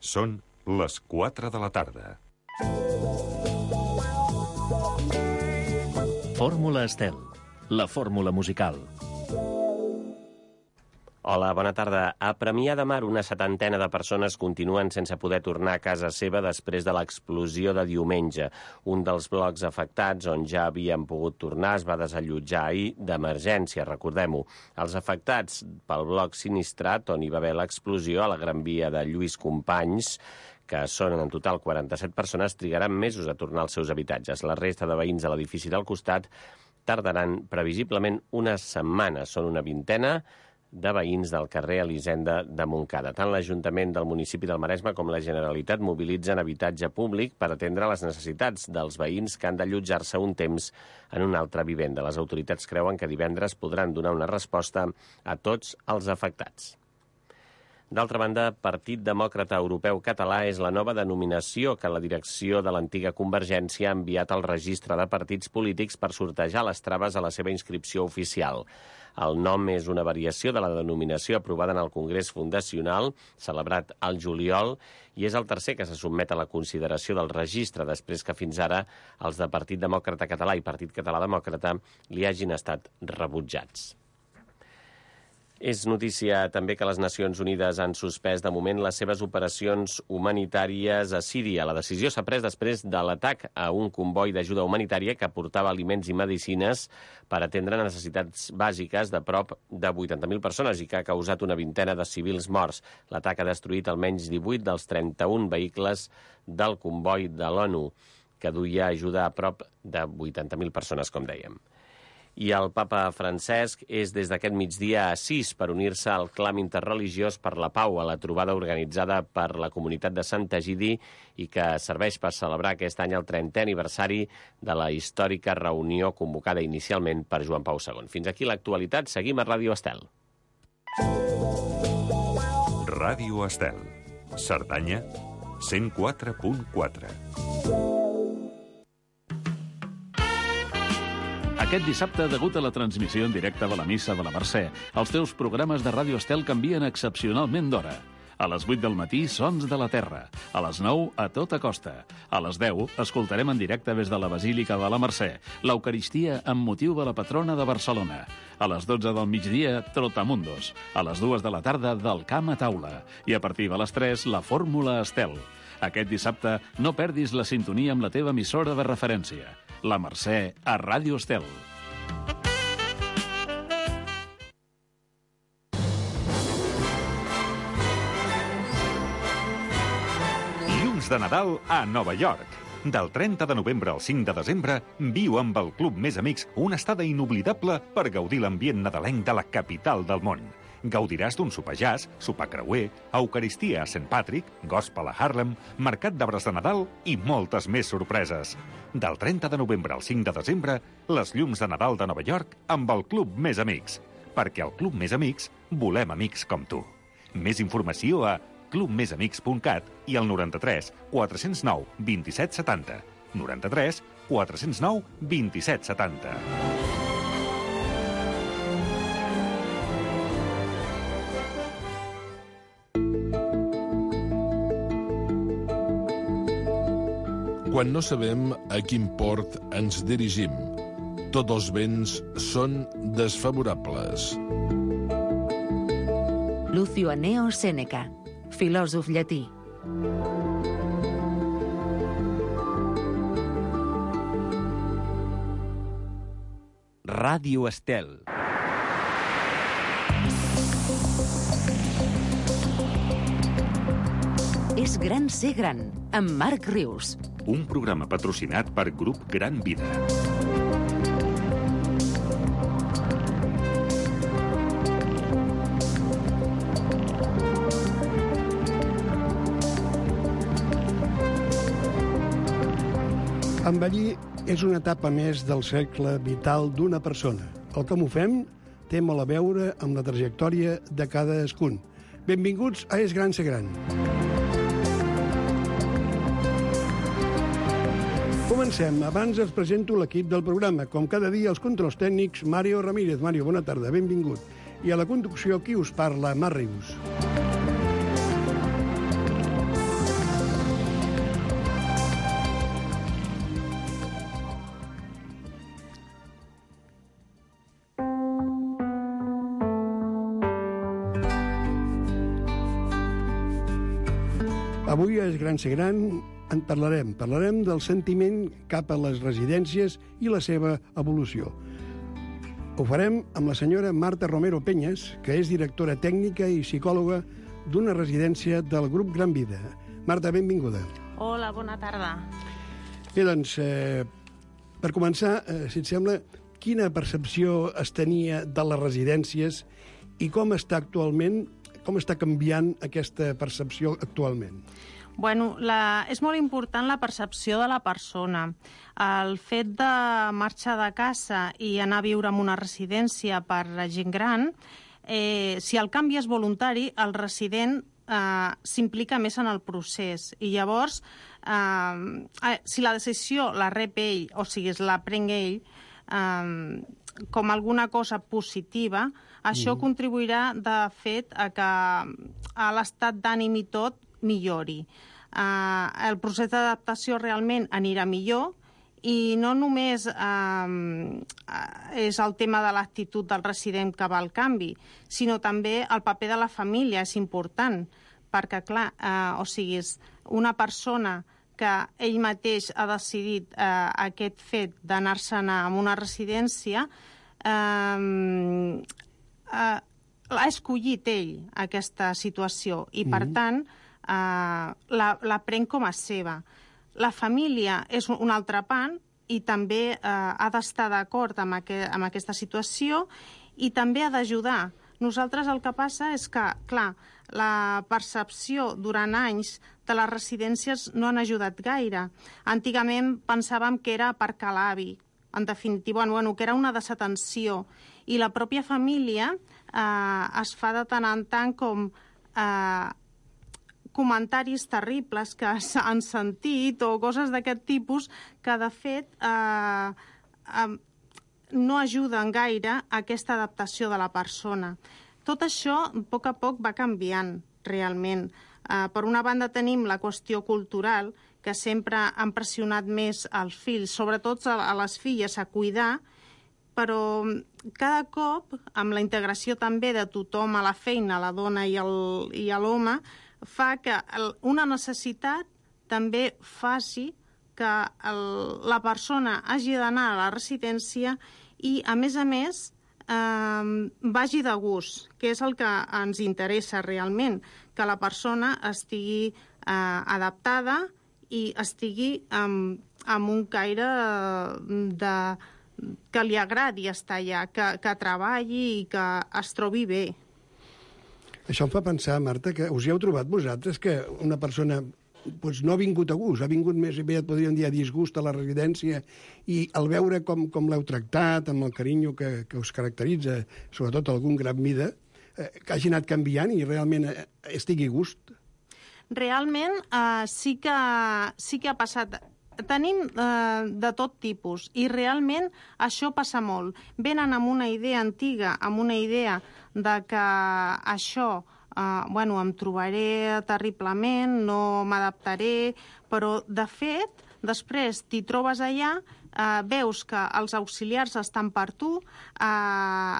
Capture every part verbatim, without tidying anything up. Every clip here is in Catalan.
Són les quatre de la tarda. Fórmula Estel, la fórmula musical. Hola, bona tarda. A Premià de Mar, una setantena de persones continuen sense poder tornar a casa seva després de l'explosió de diumenge. Un dels blocs afectats, on ja havien pogut tornar, es va desallotjar ahir d'emergència, recordem-ho. Els afectats pel bloc sinistrat, on hi va haver l'explosió, a la Gran Via de Lluís Companys, que són en total quaranta-set persones, trigaran mesos a tornar als seus habitatges. La resta de veïns de l'edifici del costat tardaran previsiblement una setmana. Són una vintena de veïns del carrer Elisenda de Montcada. Tant l'Ajuntament del municipi del Maresme com la Generalitat mobilitzen habitatge públic per atendre les necessitats dels veïns que han d'allotjar-se un temps en una altra vivenda. Les autoritats creuen que divendres podran donar una resposta a tots els afectats. D'altra banda, Partit Demòcrata Europeu Català és la nova denominació que la direcció de l'antiga Convergència ha enviat al registre de partits polítics per sortejar les traves a la seva inscripció oficial. El nom és una variació de la denominació aprovada en el Congrés Fundacional, celebrat al juliol, i és el tercer que se sotmet a la consideració del registre, després que fins ara els de Partit Demòcrata Català i Partit Català Demòcrata li hagin estat rebutjats. És notícia també que les Nacions Unides han suspès de moment les seves operacions humanitàries a Síria. La decisió s'ha pres després de l'atac a un comboi d'ajuda humanitària que portava aliments i medicines per atendre necessitats bàsiques de prop de vuitanta mil persones i que ha causat una vintena de civils morts. L'atac ha destruït almenys divuit dels trenta-un vehicles del comboi de l'ONU, que duia ajuda a prop de vuitanta mil persones, com dèiem. I el papa Francesc és des d'aquest migdia a Assís per unir-se al clam interreligiós per la pau a la trobada organitzada per la comunitat de Sant Egidi i que serveix per celebrar aquest any el trentè aniversari de la històrica reunió convocada inicialment per Joan Pau segon. Fins aquí l'actualitat. Seguim a Ràdio Estel. Ràdio Estel. Cerdanya, cent quatre punt quatre. Aquest dissabte, degut a la transmissió en directe de la missa de la Mercè, els teus programes de Ràdio Estel canvien excepcionalment d'hora. A les vuit del matí, Sons de la Terra. A les nou, A tota costa. A les deu, escoltarem en directe des de la Basílica de la Mercè l'Eucaristia amb motiu de la patrona de Barcelona. A les dotze del migdia, Trotamundos. A les dues de la tarda, Del camp a taula. I a partir de les tres, la Fórmula Estel. Aquest dissabte, no perdis la sintonia amb la teva emissora de referència. La Mercè a Ràdio Estel. Llums de Nadal a Nova York. Del trenta de novembre al cinc de desembre, viu amb el Club Més Amics una estada inoblidable per gaudir l'ambient nadalenc de la capital del món. Gaudiràs d'un sopar jazz, sopar creuer, eucaristia a Saint Patrick, gospel a Harlem, mercat d'arbres de Nadal i moltes més sorpreses. Del trenta de novembre al cinc de desembre, les llums de Nadal de Nova York amb el Club Més Amics. Perquè al Club Més Amics volem amics com tu. Més informació a club més amics punt cat i al noranta-tres quatre-cents nou vint-i-set setanta. noranta-tres quatre-cents nou vint-i-set setanta. Quan no sabem a quin port ens dirigim, tots els vents són desfavorables. Lucio Anneo Sèneca, filòsof llatí. Ràdio Estel. És gran ser gran, amb Marc Rius. Un programa patrocinat per Grup Gran Vida. Envellir és una etapa més del cercle vital d'una persona. El que m'ho fem té molt a veure amb la trajectòria de cadascun. Benvinguts a És gran ser gran. Comencem. Abans els presento l'equip del programa. Com cada dia, els controls tècnics, Mario Ramírez. Mario, bona tarda, benvingut. I a la conducció, qui us parla, Marc Rius. Avui a Gran Ser Gran en parlarem. Parlarem del sentiment cap a les residències i la seva evolució. Ho farem amb la senyora Marta Romero Peñas, que és directora tècnica i psicòloga d'una residència del grup Gran Vida. Marta, benvinguda. Hola, bona tarda. Bé, doncs, eh, per començar, eh, si et sembla, quina percepció es tenia de les residències i com està actualment, com està canviant aquesta percepció actualment? Bueno, la, és molt important la percepció de la persona. El fet de marxar de casa i anar a viure en una residència per a gent gran, eh, si el canvi és voluntari, el resident eh, s'implica més en el procés. I llavors, eh, si la decisió la rep ell, o sigui, la prenc ell, eh, com alguna cosa positiva, això mm. contribuirà, de fet, a que a l'estat d'ànim i tot millori. Uh, el procés d'adaptació realment anirà millor i no només uh, és el tema de l'actitud del resident que va al canvi, sinó també el paper de la família és important, perquè, clar, uh, o sigui, és una persona que ell mateix ha decidit uh, aquest fet d'anar-se'n a una residència, uh, uh, ha escollit ell aquesta situació i, per mm-hmm. tant, Uh, la, la prenc com a seva. La família és un altre pan i també uh, ha d'estar d'acord amb, aqu amb aquesta situació i també ha d'ajudar. Nosaltres el que passa és que, clar, la percepció durant anys de les residències no han ajudat gaire. Antigament pensàvem que era per l'avi, en definitiva, bueno, que era una desatenció, i la pròpia família uh, es fa de tant en tant com uh, comentaris terribles que han sentit o coses d'aquest tipus que, de fet, eh, eh, no ajuden gaire a aquesta adaptació de la persona. Tot això, a poc a poc, va canviant, realment. Eh, per una banda, tenim la qüestió cultural, que sempre han pressionat més els fills, sobretot a les filles, a cuidar, però cada cop, amb la integració també de tothom a la feina, la dona i l'home, fa que una necessitat també faci que el, la persona hagi d'anar a la residència i, a més a més, eh, vagi de gust, que és el que ens interessa realment, que la persona estigui eh, adaptada i estigui amb, amb un caire de, que li agradi estar allà, que, que treballi i que es trobi bé. Això em fa pensar, Marta, que us hi heu trobat vosaltres que una persona doncs, no ha vingut a gust, ha vingut més bé, podríem dir, a disgust a la residència, i al veure com, com l'heu tractat, amb el carinyo que, que us caracteritza, sobretot algun Gran Vida, eh, que hagi anat canviant i realment eh, estigui a gust? Realment eh, sí, que, sí que ha passat. Tenim eh, de tot tipus i realment això passa molt. Venen amb una idea antiga, amb una idea de que això, eh, bueno, em trobaré terriblement, no m'adaptaré, però de fet, després t'hi trobes allà, eh, veus que els auxiliars estan per tu, eh,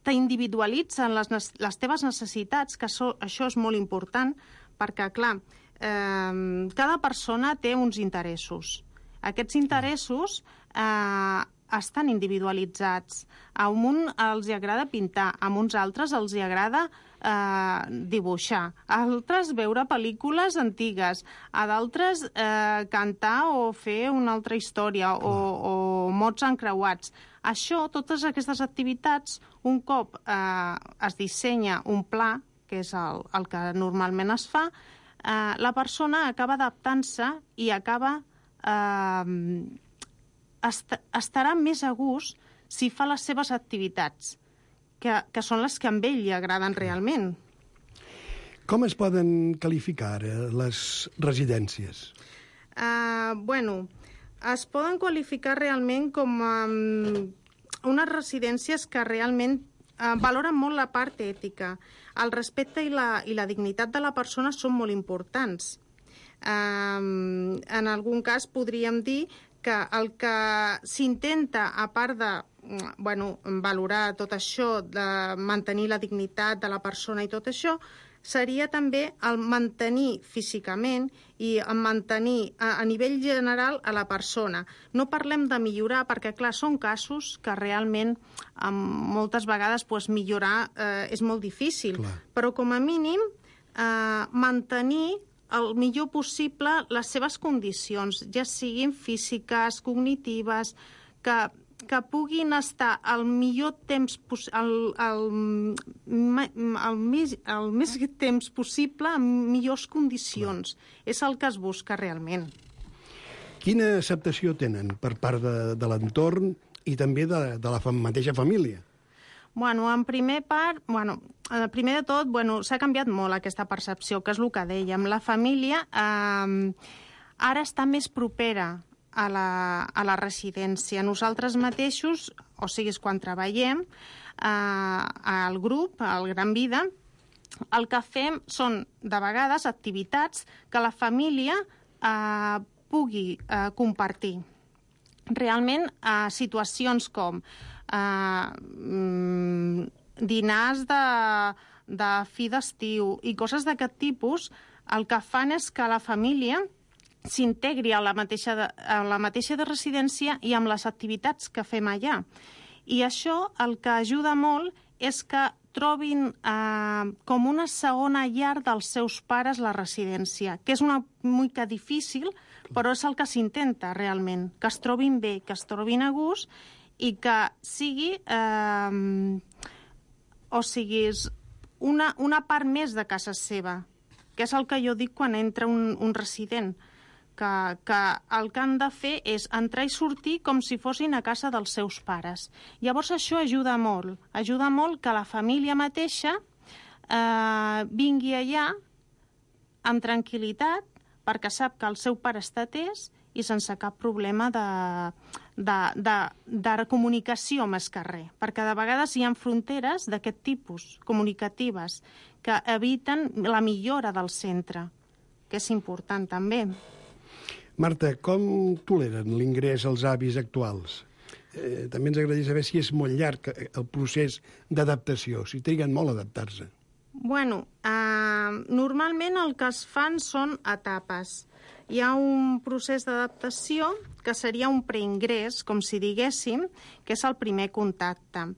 t'individualitzen les, les teves necessitats, que so, això és molt important, perquè, clar, eh, cada persona té uns interessos. Aquests interessos eh, estan individualitzats. A un els agrada pintar, a uns altres els agrada eh, dibuixar, a altres veure pel·lícules antigues, a d'altres eh, cantar o fer una altra història o, o mots encreuats. Això, totes aquestes activitats, un cop eh, es dissenya un pla, que és el, el que normalment es fa, eh, la persona acaba adaptant-se i acaba eh, est estarà més a gust si fa les seves activitats, que, que són les que a ell li agraden realment. Com es poden qualificar eh, les residències? Uh, bueno, es poden qualificar realment com um, unes residències que realment uh, valoren molt la part ètica. El respecte i la, i la dignitat de la persona són molt importants. Um, en algun cas podríem dir que el que s'intenta, a part de bueno, valorar tot això, de mantenir la dignitat de la persona i tot això, seria també el mantenir físicament i el mantenir a, a nivell general a la persona. No parlem de millorar, perquè, clar, són casos que realment um, moltes vegades pues, millorar eh, és molt difícil, clar. Però com a mínim eh, mantenir el millor possible les seves condicions, ja siguin físiques, cognitives, que... que puguin estar el millor temps, el, el, el, més, el més temps possible en millors condicions. Clar. És el que es busca realment. Quina acceptació tenen per part de, de l'entorn i també de, de la mateixa família? Bueno, en primer part, bueno, primer de tot, bueno, s'ha canviat molt aquesta percepció, que és el que dèiem. La família eh, ara està més propera a la, a la residència. Nosaltres mateixos, o sigui, quan treballem eh, al grup, al Gran Vida, el que fem són, de vegades, activitats que la família eh, pugui eh, compartir. Realment, eh, situacions com eh, dinars de, de fi d'estiu i coses d'aquest tipus, el que fan és que la família s'integri a la mateixa de, a la mateixa de residència i amb les activitats que fem allà. I això el que ajuda molt és que trobin eh, com una segona llar dels seus pares la residència, que és una mica difícil, però és el que s'intenta realment, que es trobin bé, que es trobin a gust i que sigui, eh, o sigui, una, una part més de casa seva, que és el que jo dic quan entra un, un resident, Que, que el que han de fer és entrar i sortir com si fossin a casa dels seus pares. Llavors això ajuda molt. Ajuda molt que la família mateixa eh, vingui allà amb tranquil·litat perquè sap que el seu pare està atès i sense cap problema de, de, de, de comunicació més que res. Perquè de vegades hi ha fronteres d'aquest tipus, comunicatives, que eviten la millora del centre, que és important també. Marta, com toleren l'ingrés als avis actuals? Eh, també ens agradaria saber si és molt llarg el procés d'adaptació, si triguen molt a adaptar-se. Bueno, eh, normalment el que es fan són etapes. Hi ha un procés d'adaptació que seria un preingrés, com si diguéssim, que és el primer contacte.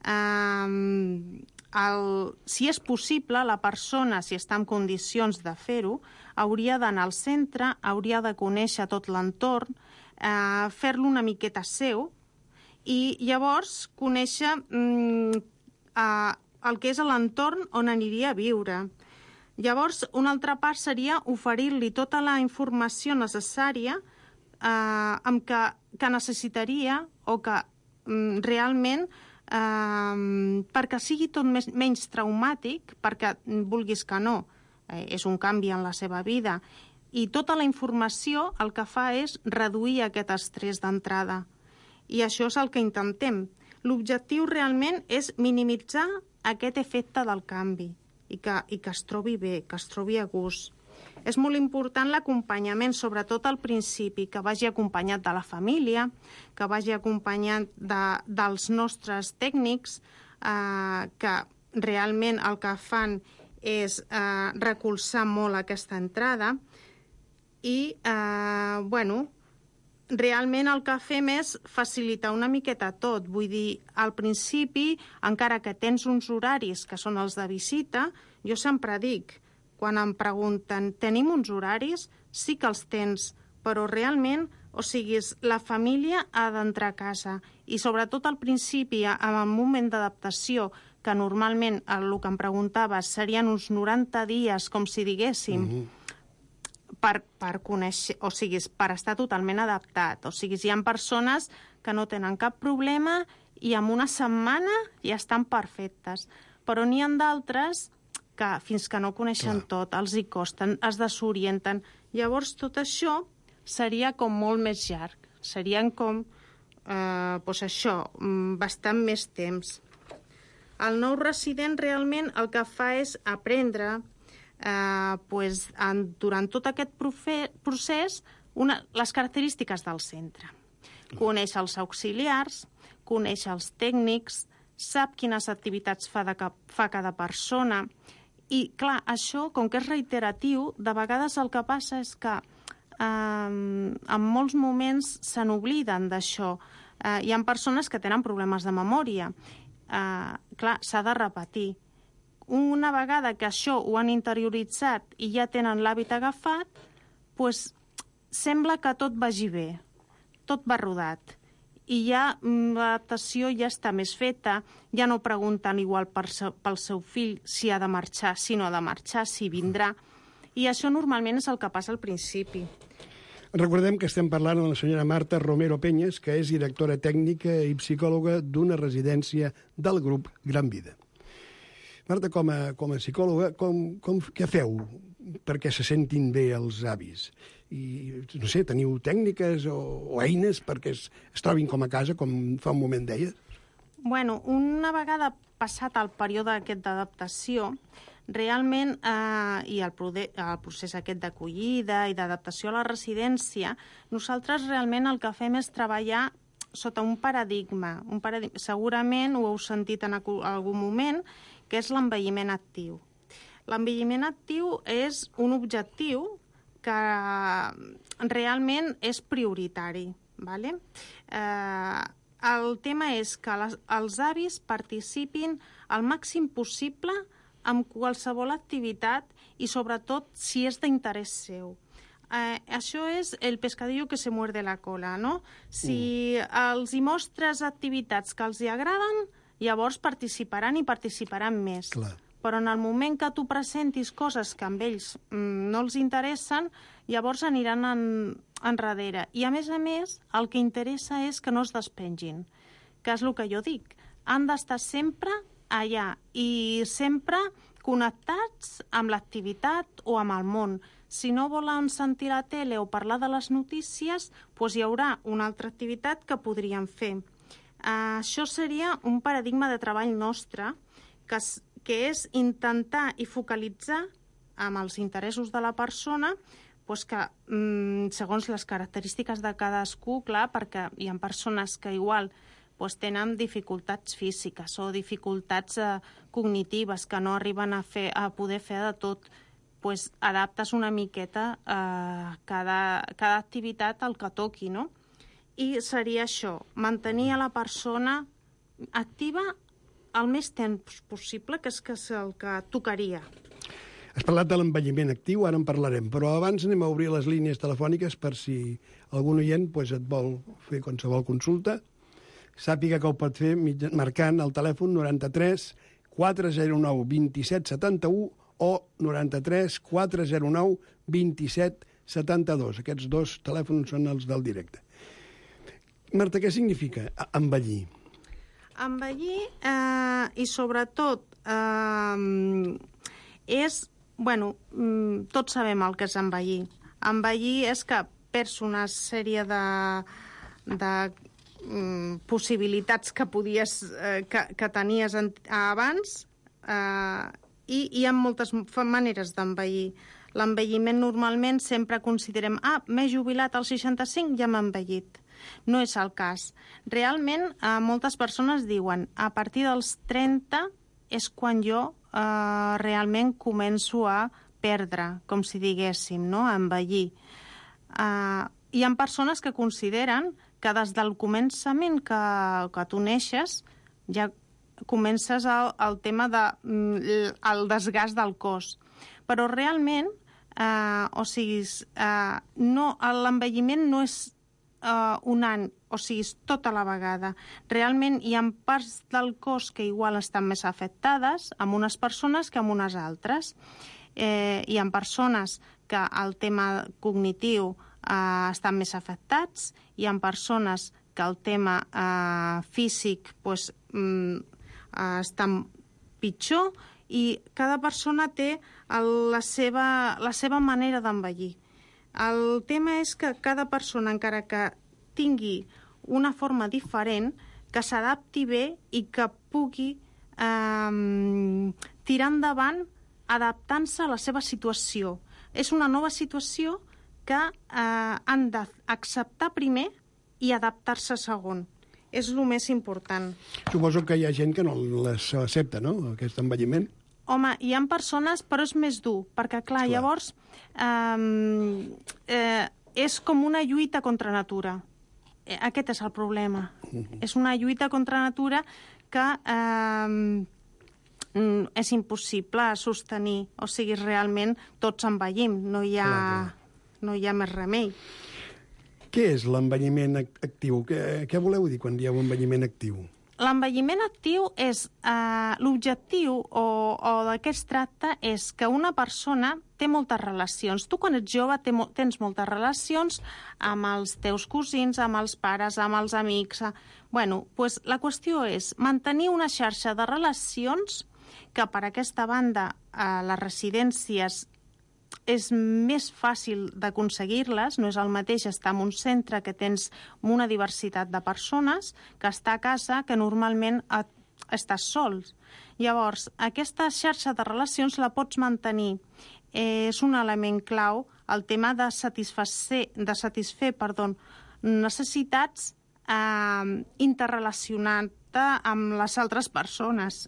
Eh, el, si és possible, la persona, si està en condicions de fer-ho, hauria d'anar al centre, hauria de conèixer tot l'entorn, eh, fer-lo una miqueta seu i llavors conèixer mm, eh, el que és l'entorn on aniria a viure. Llavors, una altra part seria oferir-li tota la informació necessària eh, amb que, que necessitaria o que mm, realment eh, perquè sigui tot més, menys traumàtic, perquè vulguis que no, eh, és un canvi en la seva vida. I tota la informació el que fa és reduir aquest estrès d'entrada. I això és el que intentem. L'objectiu realment és minimitzar aquest efecte del canvi i que, i que es trobi bé, que es trobi a gust. És molt important l'acompanyament, sobretot al principi, que vagi acompanyat de la família, que vagi acompanyat de, dels nostres tècnics, eh, que realment el que fan és eh, recolzar molt aquesta entrada i, eh, bueno, realment el que fem és facilitar una miqueta tot. Vull dir, al principi, encara que tens uns horaris que són els de visita, jo sempre dic, quan em pregunten, tenim uns horaris? Sí que els tens, però realment, o sigui, la família ha d'entrar a casa. I sobretot al principi, en el moment d'adaptació, que normalment el que em preguntaves serien uns noranta dies, com si diguéssim, mm-hmm. per, per conèixer, o sigui, per estar totalment adaptat. O sigui, hi ha persones que no tenen cap problema i en una setmana ja estan perfectes. Però n'hi ha d'altres que fins que no coneixen Clar. Tot, els hi costen, es desorienten. Llavors, tot això seria com molt més llarg. Serien com, eh, doncs això, bastant més temps. El nou resident realment el que fa és aprendre eh, doncs, en, durant tot aquest procés una, les característiques del centre. Coneix els auxiliars, coneix els tècnics, sap quines activitats fa, de cap, fa cada persona I, clar, això, com que és reiteratiu, de vegades el que passa és que eh, en molts moments se n'obliden d'això. Eh, hi ha persones que tenen problemes de memòria. Eh, clar, s'ha de repetir. Una vegada que això ho han interioritzat i ja tenen l'hàbit agafat, doncs sembla que tot vagi bé, tot va rodat. I ja l'adaptació ja està més feta, ja no pregunten igual per seu, pel seu fill si ha de marxar, si no ha de marxar, si vindrà. I això normalment és el que passa al principi. Recordem que estem parlant amb la senyora Marta Romero Peñas, que és directora tècnica i psicòloga d'una residència del grup Gran Vida. Marta, com a, com a psicòloga, com, com, què feu perquè se sentin bé els avis? I, no sé, teniu tècniques o, o eines perquè es, es trobin com a casa, com fa un moment deies? Bueno, una vegada passat el període aquest d'adaptació, realment, eh, i el, el procés aquest d'acollida i d'adaptació a la residència, nosaltres realment el que fem és treballar sota un paradigma. Un paradigma. Segurament ho heu sentit en algun moment, que és l'envelliment actiu. L'envelliment actiu és un objectiu que realment és prioritari. ¿Vale? Eh, el tema és que les, els avis participin al màxim possible en qualsevol activitat i sobretot si és d'interès seu. Eh, això és el pescadillo que se muerde la cola, no? Si mm. els hi mostres activitats que els hi agraden, llavors participaran i participaran més. Clar. Però en el moment que tu presentis coses que amb ells mm, no els interessen, llavors aniran en, enrere. I a més a més, el que interessa és que no es despengin, que és el que jo dic. Han d'estar sempre allà i sempre connectats amb l'activitat o amb el món. Si no volen sentir la tele o parlar de les notícies, doncs hi haurà una altra activitat que podrien fer. Uh, això seria un paradigma de treball nostre, que, que és intentar i focalitzar amb els interessos de la persona, doncs que, mm, segons les característiques de cadascú, clar, perquè hi ha persones que igual doncs, tenen dificultats físiques o dificultats eh, cognitives que no arriben a, fer, a poder fer de tot, doncs adaptes una miqueta eh, cada, cada activitat al que toqui, no? I seria això, mantenir a la persona activa el més temps possible, que és, que és el que tocaria. Has parlat de l'envelliment actiu, ara en parlarem, però abans anem a obrir les línies telefòniques per si algun oient pues, et vol fer qualsevol consulta. Sàpiga que ho pot fer marcant el telèfon noranta-tres quatre zero nou vint-i-set setanta-u o noranta-tres quatre zero nou vint-i-set setanta-dos. Aquests dos telèfons són els del directe. Marta, què significa envellir? Envellir, eh, i sobretot, eh, és, bueno, tots sabem el que és envellir. Envellir és que perds una sèrie de, de mm, possibilitats que podies, eh, que, que tenies en, abans, eh, i hi ha moltes maneres d'envellir. L'envelliment normalment sempre considerem, ah, m'he jubilat als seixanta-cinc, ja m'he envellit. No és el cas. Realment, eh, moltes persones diuen a partir dels trenta és quan jo eh, realment començo a perdre, com si diguéssim, no? A envellir. Eh, hi ha persones que consideren que des del començament que, que tu neixes ja comences el, el tema de, el desgast del cos. Però realment, eh, o sigui, eh, no, l'envelliment no és Uh, un any, o sigui, és tota la vegada. Realment hi ha parts del cos que igual estan més afectades amb unes persones que amb unes altres. Eh, hi ha persones que el tema cognitiu uh, estan més afectats, hi ha persones que el tema uh, físic pues, mm, uh, estan pitjor i cada persona té el, la, seva, la seva manera d'envellir. El tema és que cada persona, encara que tingui una forma diferent, que s'adapti bé i que pugui eh, tirar endavant adaptant-se a la seva situació. És una nova situació que eh, han d'acceptar primer i adaptar-se segon. És el més important. Suposo que hi ha gent que no l'accepta, no?, aquest envelliment. home, hi ha persones, però és més dur, perquè, clar, clar. llavors eh, eh, és com una lluita contra natura. Eh, aquest és el problema. Mm-hmm. És una lluita contra natura que eh, és impossible sostenir. O sigui, realment tots envellim, no hi ha, clar, clar. No hi ha més remei. Què és l'envelliment actiu? Què, què voleu dir quan dieu envelliment actiu? L'envelliment actiu és... Eh, l'objectiu o, o de què es tracta és que una persona té moltes relacions. Tu, quan ets jove, té, tens moltes relacions amb els teus cosins, amb els pares, amb els amics. A... Bueno, pues, la qüestió és mantenir una xarxa de relacions que, per aquesta banda, a les residències és més fàcil d'aconseguir-les, no és el mateix estar en un centre que tens una diversitat de persones que estar a casa, que normalment et, estàs sols. Llavors, aquesta xarxa de relacions la pots mantenir. Eh, és un element clau el tema de satisfer, de satisfer perdó, necessitats eh, interrelacionant-te amb les altres persones.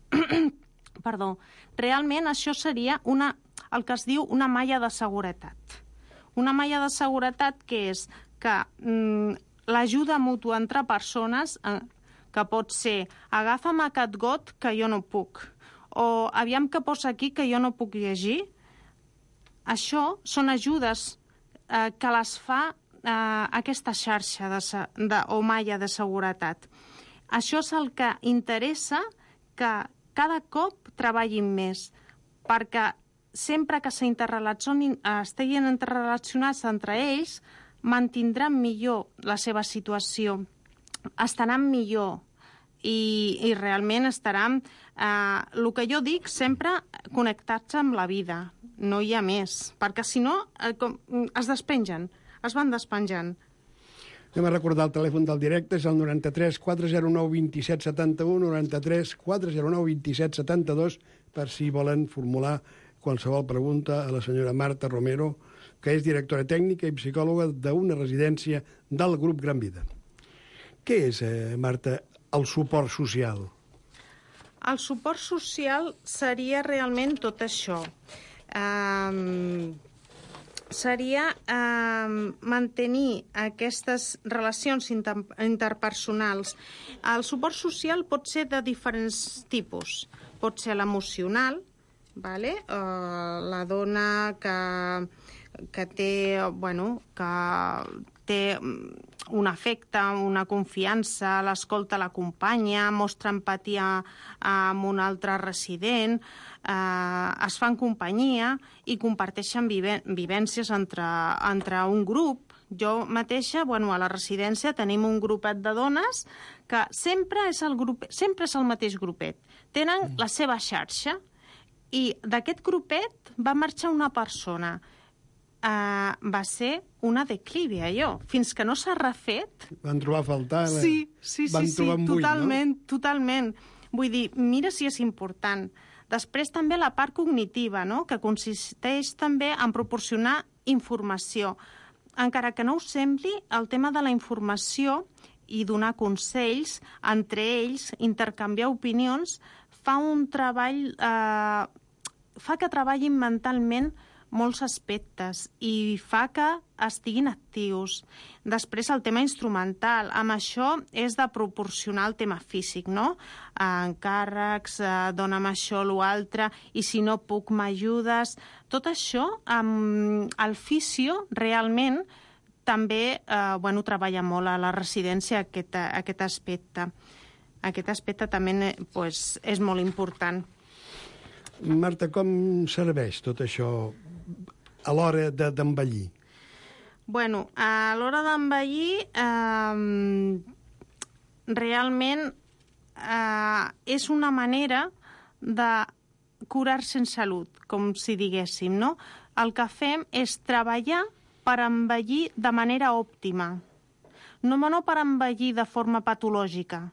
Perdó. Realment això seria una el que es diu una malla de seguretat. Una malla de seguretat que és que mm, l'ajuda mútua entre persones, eh, que pot ser agafa'm aquest got que jo no puc, o aviam què posa aquí que jo no puc llegir. Això són ajudes eh, que les fa eh, aquesta xarxa de, de, o malla de seguretat. Això és el que interessa que cada cop treballin més, perquè sempre que estiguin interrelacionats entre ells, mantindran millor la seva situació, estaran millor i, i realment estaran, eh, el que jo dic, sempre connectats amb la vida, no hi ha més, perquè si no eh, com, es despengen, es van despenjant. Anem a recordar el telèfon del directe, és el noranta-tres quatre zero nou vint set setanta-u, noranta-tres quatre zero nou vint set setanta-dos, per si volen formular qualsevol pregunta a la senyora Marta Romero, que és directora tècnica i psicòloga d'una residència del grup Gran Vida. Què és, eh, Marta, el suport social? El suport social seria realment tot això. Um, seria um, mantenir aquestes relacions inter interpersonals. El suport social pot ser de diferents tipus. Pot ser l'emocional, vale? Uh, la dona que, que té, bueno, que té un afecte, una confiança, l'escolta, l'acompanya, mostra empatia amb un altre resident, eh, es fan companyia i comparteixen vive vivències entre, entre un grup. Jo mateixa, bueno, a la residència tenim un grupet de dones que sempre és el, grup, sempre és el mateix grupet. Tenen la seva xarxa. I d'aquest grupet va marxar una persona. Uh, va ser una declivi, allò. Fins que no s'ha refet... Van trobar a faltar... Eh? Sí, sí, Van sí, sí, buit, totalment, no? totalment. Vull dir, mira si és important. Després també la part cognitiva, no?, que consisteix també en proporcionar informació. Encara que no us sembli, el tema de la informació i donar consells entre ells, intercanviar opinions, fa un treball, eh, fa que treballin mentalment molts aspectes i fa que estiguin actius. Després el tema instrumental, amb això és de proporcionar el tema físic, no? Encàrrecs, eh, dona'm això, l'altre, i si no puc m'ajudes. Tot això, amb el fisio, realment, també eh, bueno, treballa molt a la residència aquest, aquest aspecte. Aquest aspecte també pues, és molt important. Marta, com serveix tot això a l'hora d'envellir? Bueno, a l'hora d'envellir, eh, realment eh, és una manera de curar-se en salut, com si diguéssim, no? El que fem és treballar per envellir de manera òptima, no, no per envellir de forma patològica.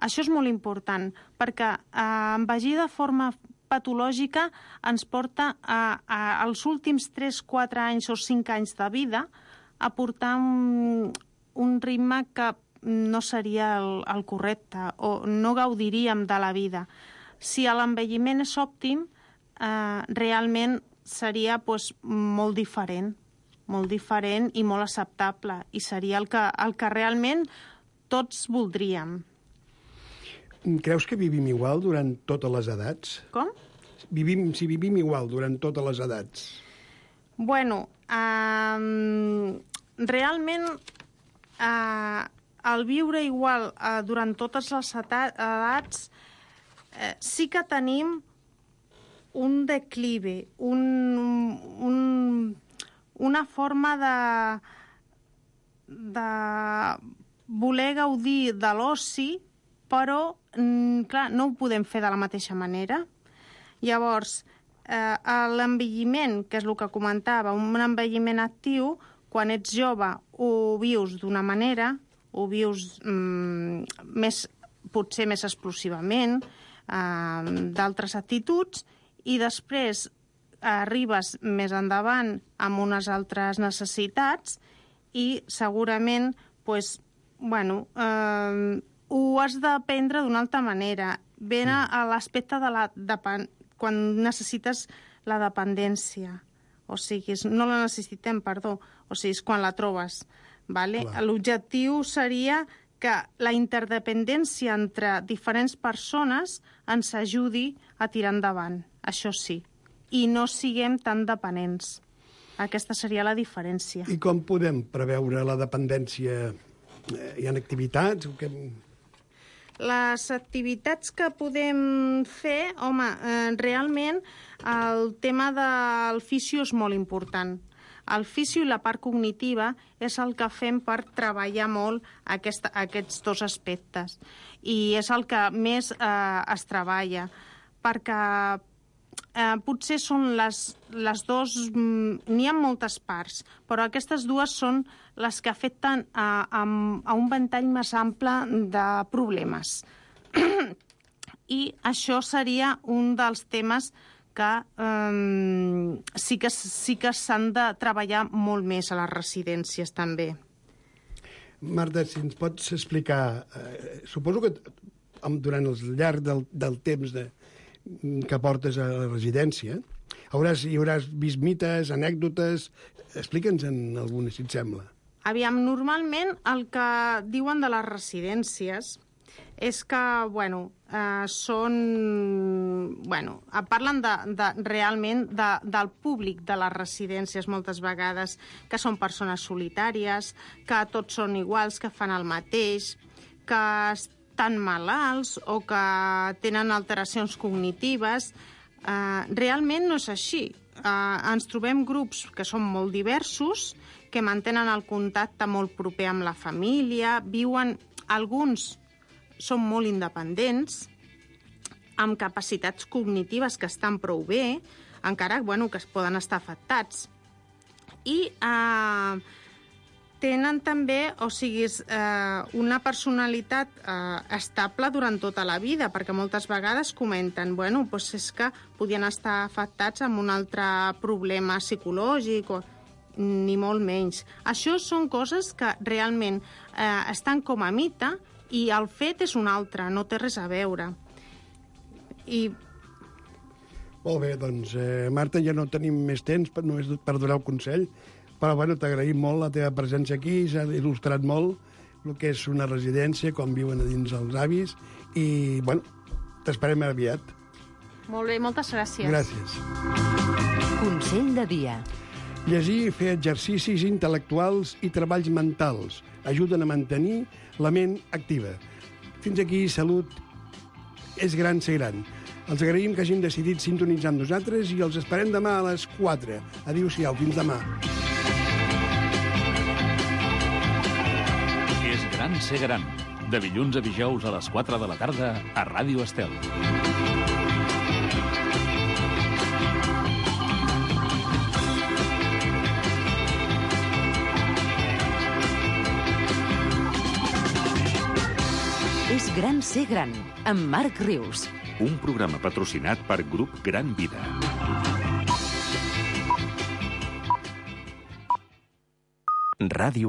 Això és molt important, perquè eh, envellir de forma patològica ens porta a, a, als últims tres quatre anys o cinc anys de vida a portar un, un ritme que no seria el, el correcte o no gaudiríem de la vida. Si l'envelliment és òptim, eh, realment seria pues, molt diferent, molt diferent i molt acceptable, i seria el que, el que realment tots voldríem. Creus que vivim igual durant totes les edats? Com? Vivim, si vivim igual durant totes les edats? Bueno, eh, realment eh, el viure igual eh, durant totes les edats eh, sí que tenim un declive, un, un, una forma de, de voler gaudir de l'oci, però, clar, no ho podem fer de la mateixa manera. Llavors, eh, l'envelliment, que és el que comentava, un envelliment actiu, quan ets jove ho vius d'una manera, ho vius mm, més, potser més explosivament, eh, d'altres actituds, i després arribes més endavant amb unes altres necessitats i segurament pues, bueno, eh, ho has d'aprendre d'una altra manera. Ven a, a l'aspecte de la depen... quan necessites la dependència. O sigui, no la necessitem, perdó. O sigui, és quan la trobes. Vale? L'objectiu seria que la interdependència entre diferents persones ens ajudi a tirar endavant. Això sí. I no siguem tan dependents. Aquesta seria la diferència. I com podem preveure la dependència? Hi ha activitats? Que... Les activitats que podem fer, home, eh, realment el tema del fisio és molt important. El fisio i la part cognitiva és el que fem per treballar molt aquesta, aquests dos aspectes. I és el que més eh, es treballa, perquè eh, potser són les, les dues... N'hi ha moltes parts, però aquestes dues són les que afecten a, a, a un ventall més ample de problemes. I això seria un dels temes que eh, sí que sí que s'han de treballar molt més a les residències, també. Marta, si ens pots explicar... Eh, suposo que durant el llarg del, del temps de, que portes a la residència hauràs, hi hauràs vist mites, anècdotes... Explica'ns en alguna, si et sembla. Aviam, normalment el que diuen de les residències és que, bueno, eh, són... Bueno, parlen de, de, realment de, del públic de les residències moltes vegades, que són persones solitàries, que tots són iguals, que fan el mateix, que estan malalts o que tenen alteracions cognitives. Eh, realment no és així. Eh, ens trobem grups que són molt diversos, que mantenen el contacte molt proper amb la família, viuen... Alguns són molt independents, amb capacitats cognitives que estan prou bé, encara bueno, que es poden estar afectats. I eh, tenen també, o sigui, eh, una personalitat eh, estable durant tota la vida, perquè moltes vegades comenten, bueno, doncs és que podien estar afectats amb un altre problema psicològic, o ni molt menys. Això són coses que realment eh, estan com a mite i el fet és un altre, no té res a veure. I... Molt bé, doncs, eh, Marta, ja no tenim més temps per, només per donar el consell, però bueno, t'agraïm molt la teva presència aquí, s'ha il·lustrat molt el que és una residència, com viuen a dins els avis, i, bueno, t'esperem aviat. Molt bé, moltes gràcies. Gràcies. Consell de dia. Llegir i fer exercicis intel·lectuals i treballs mentals ajuden a mantenir la ment activa. Fins aquí, Salut és gran ser gran. Els agraïm que hagin decidit sintonitzar amb nosaltres i els esperem demà a les quatre. Adéu-siau, fins demà. És gran ser gran. De dilluns a dijous a les quatre de la tarda a Ràdio Estel. És gran ser gran, amb Marc Rius. Un programa patrocinat per Grup Gran Vida. Ràdio